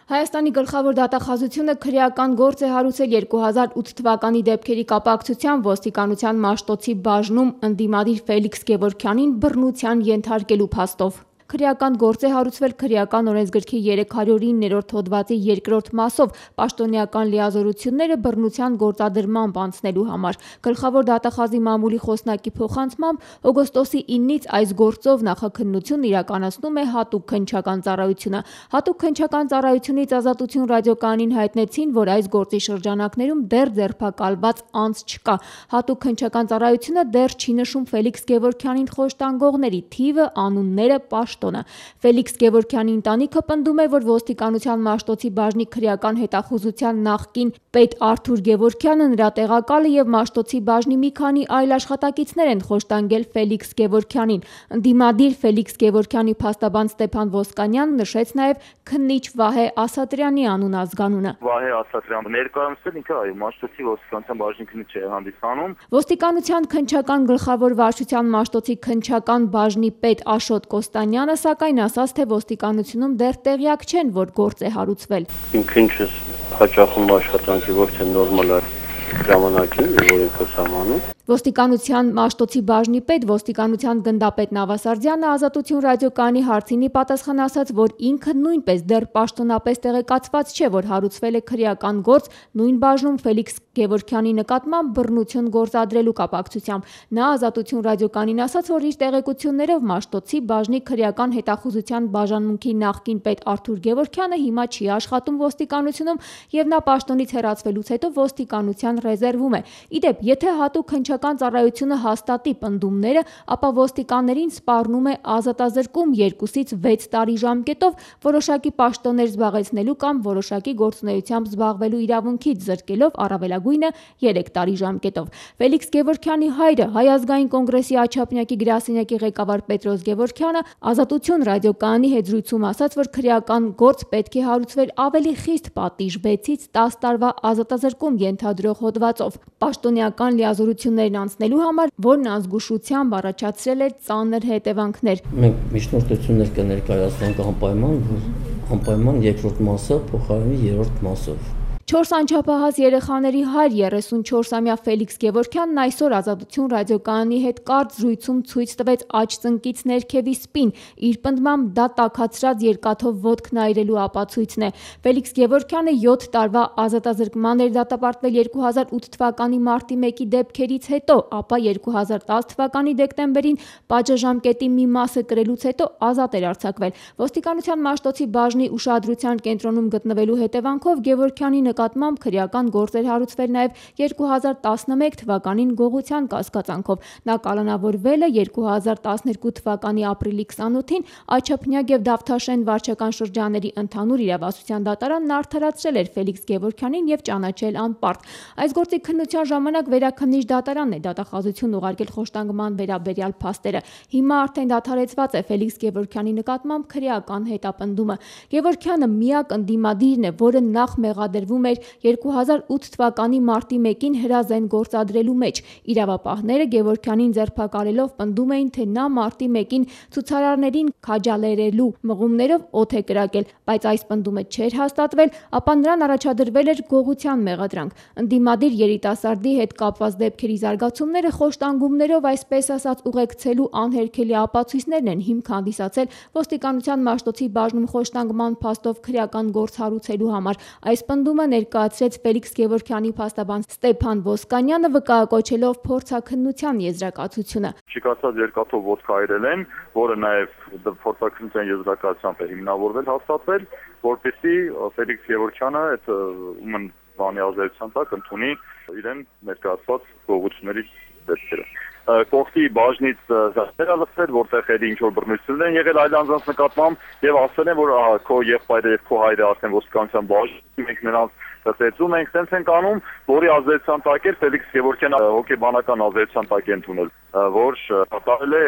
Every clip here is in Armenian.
Հայաստանի գլխավոր դատախազությունը քրեական գործ է հարուցել 2008 թվականի դեպքերի կապակցությամբ ոստիկանության Մաշտոցի բաժնում ընդդիմադիր Ֆելիքս Գևորգյանին բռնության ենթարկելու փաստով։ Քրեական գործ է հարուցվել քրեական օրենսգրքի 309-րդ հոդվածի 2-րդ մասով պաշտոնեական լիազորությունները բռնության գործադրմամբ անցնելու համար։ Գլխավոր դատախազի մամուլի խոսնակի փոխանցմամբ օգոստոսի 9-ից այս գործով նախաքննությունն իրականացնում է հատուկ քննչական ծառայությունը։ Հատուկ քննչական ծառայությունից Ազատություն ռադիոկայանին հայտնեցին, որ այս գործի շրջանակներում դեռ ձերբակալված անձ չկա։ Հատուկ քննչական ծառայությունը դեռ չի նշում Ֆելիքս Գևորգյանին խոշտանգողների թիվը, անունները, պաշտոնը։ Ֆելիքս Գևորգյանի ընտանիքը պնդում է, որ ոստիկանության Մաշտոցի բաժնի քրեական հետախուզության նախկին պետ Արթուր Գևորգյանը, նրա տեղակալը եւ Մաշտոցի բաժնի մի քանի այլ աշխատակիցներ են խոշտանգել Ֆելիքս Գևորգյանին։ Ընդդիմադիր Ֆելիքս Գևորգյանի փաստաբան Ստեփան Ոսկանյանը նշեց նաեւ քննիչ Վահե Ասատրյանի անուն-ազգանունը։ Վահե Ասատրյանը ներկայացնել ինքը Մաշտոցի ոստիկանության բաժնի քննիչ է հանդիսանում։ Ոստիկանության քննչական գլխավոր վարչության Մաշտոցի քննչական բաժնի պետ Աշոտ Կոստանյանը սակայն ասաց, թե ոստիկանությունում դեռ տեղյակ չեն, որ գործ է հարուցվել։ Իմ քննիչս հաճախում աշխատանքի ոչ թե նորմալ ժամանակին, որ ինքը սահմանում։ Ոստիկանության Մաշտոցի բաժնի պետ ոստիկանության գնդապետ Նավասարդյանը Ազատություն ռադիոկայանի հարցինի պատասխան ասաց, որ ինքը նույնպես դեռ պաշտոնապես տեղեկացված չէ, որ հարուցվել է քրեական գործ նույն բաժնում Ֆելիքս Գևորգյանի նկատմամբ բռնություն գործադրելու կապակցությամբ։ Նա Ազատություն ռադիոկայանին ասաց, որ իր տեղեկություններով Մաշտոցի բաժնի քրեական հետախուզության բաժանմունքի նախկին պետ Արթուր Գևորգյանը հիմա չի աշխատում ոստիկանությունում եւ նա պաշտոնից հեռացվելուց հետո ոստիկանության ռեզերվում է։ Իդեպ, եթե հատուկ քննչական ծառայությունը հաստատի պնդումները, ապա ոստիկաններին սպառնում է ազատազրկում 2-ից 6 տարի ժամկետով որոշակի պաշտոններ զբաղեցնելու կամ որոշակի գործունեությամբ զբաղվելու իրավունքից զրկելով առավելագույնը 3 տարի ժամկետով։ Ֆելիքս Գևորգյանի հայրը Հայ ազգային կոնգրեսի Աչափնյակի գրասենյակի ղեկավար Պետրոս Գևորգյանը Ազատություն ռադիոկայանի հետ զրույցում ասաց, որ քրեական գործ պետք է հարուցվեր ավելի խիստ պատիժ 6-ից 10 տարվա ազատազրկում ենթադրող հոդվածով։ Պաշտոնեական լիազորություններն անցնելու համար, որն ազգուշությամբ առաջացրել է ծանր հետևանքներ։ Մենք միջնորդություններ կներկայացնենք անպայման երկրորդ մասը փոխարինի երրորդ մասով։ 4 անչափահաս երեխաների հայր 34-ամյա Ֆելիքս Գևորգյանն այսօր Ազատություն ռադիոկայանի հետ կարճ զրույցում ցույց տվեց աջ ծնկից ներքևի սպին։ Իր պնդմամբ դա տաքացրած երկաթով ոտք նայրելու ապացույցն է։ Ֆելիքս Գևորգյանը 7 տարվա ազատազրկման էր դատապարտվել 2008 թվականի մարտի 1-ի դեպքերից հետո, ապա 2010 թվականի դեկտեմբերին պատժամկետի մի մասը կրելուց հետո ազատ էր արձակվել։ Ոստիկանության Մաշտոցի բաժնի ուշադրության կենտրոնում գտնվելու հետևանքով Գևորգյանի նկատմամբ քրեական գործ էր հարուցվել նաև 2011 թվականին գողության կասկածանքով։ Նա կալանավորվել է 2012 թվականի ապրիլի 28-ին Աչափնյակ եւ Դավթաշեն վարչական շրջանների ընդհանուր իրավասության դատարանն արդարացրել էր Ֆելիքս Գևորգյանին եւ ճանաչել անպարտ։ Այս գործի քննության ժամանակ վերաքննիչ դատարանն է դատախազություն ուղարկել խոշտանգման վերաբերյալ փաստերը։ Հիմա արդեն դադարեցված է Ֆելիքս Գևորգյանի նկատմամբ քրեական հետապնդումը։ Գևորգյանը միակ ընդդիմադիրն է, որը նախ մեղադրվում էր 2008 թվականի մարտի 1-ին հրազեն գործադրելու մեջ։ Իրավապահները Գևորգյանին ձերբակալելով պնդում էին, թե նա մարտի 1-ին ցուցարարներին քաջալերելու մղումներով օդ է կրակել, բայց այս պնդումը չէր հաստատվել, ապա նրան առաջադրվել էր գողության մեղադրանք։ Ընդդիմադիր երիտասարդի հետ կապված դեպքերի զարգացումները խոշտանգումներով, այսպես ասած, ուղեկցելու անհերքելի ապացույցներն են հիմք հանդիսացել ոստիկանության Մաշտոցի բաժնում խոշտանգման փաստով քրեական գործ հարուցելու համար։ Այս պնդումը ներկայացրեց Ֆելիքս Գևորգյանի փաստաբան Ստեփան Ոսկանյանը, վկայակոչելով փորձաքննության եզրակացությունը։ Շիկացած երկաթով ոտք այրել են, որը նաև փորձաքննության եզրակացությամբ է հիմնավորվել, հաստատվել, որպեսզի Ֆելիքս Գևորգյանը այդ ումն բանի ազդեցության տակ ընդունի իրեն ներկայացված գողությունների դեպքերը։ Կողքի բաժնից զասեր ալսել, որտեղ էլի ինչ որ բռնություններ են եղել այլ անձանց նկատմամբ եւ ասել են, որ քո եղբայրը եւ քո հայրը արդեն ոստիկանության բաժնում ենք նրանց ծեծում ենք, sense ենք անում, որի ազդեցության տակ է Ֆելիքս Գևորգյանը հոգեբանական ազդեցության տակ է ընդունել, որ կատարել է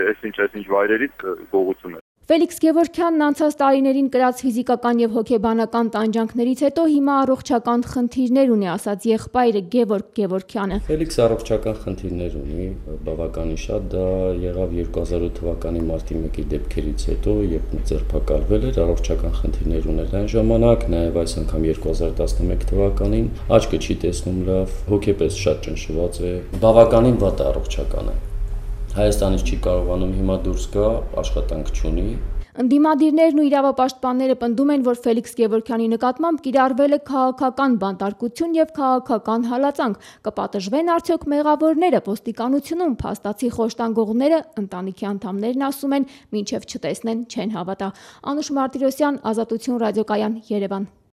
այս ինչ վայրերից գողությունը։ Ֆելիքս Գևորգյանն անցած տարիներին կրած ֆիզիկական եւ հոգեբանական տանջանքներից հետո հիմա առողջական խնդիրներ ունի, ասաց եղբայրը Գևորգ Գևորգյանը։ Ֆելիքսը առողջական խնդիրներ ունի, բավականին շատ, դա եղավ 2008 թվականի մարտի 1-ի դեպքերից հետո, երբ ձերբակալվել էր, առողջական խնդիրներ ուներ այն ժամանակ, նաեւ այս անգամ 2011 թվականին աչքը չի տեսնում լավ, հոգեպես շատ ճնշված է, բավականին վատ առողջական է։ Հայաստանից չի կարողանում հիմա դուրս գա, աշխատանք չունի։ Ընդդիմադիրներն ու իրավապաշտպանները պնդում են, որ Ֆելիքս Գևորգյանի նկատմամբ կիրառվել է քաղաքական բանտարկություն եւ քաղաքական հալածանք։ Կպատժվեն արդյոք մեղավորները ոստիկանությունում, փաստացի խոշտանգողները, ընտանիքի անդամներն ասում են, մինչև չտեսնեն չեն հավատա։ Անուշ Մարտիրոսյան, Ազատություն ռադիոկայան, Երևան։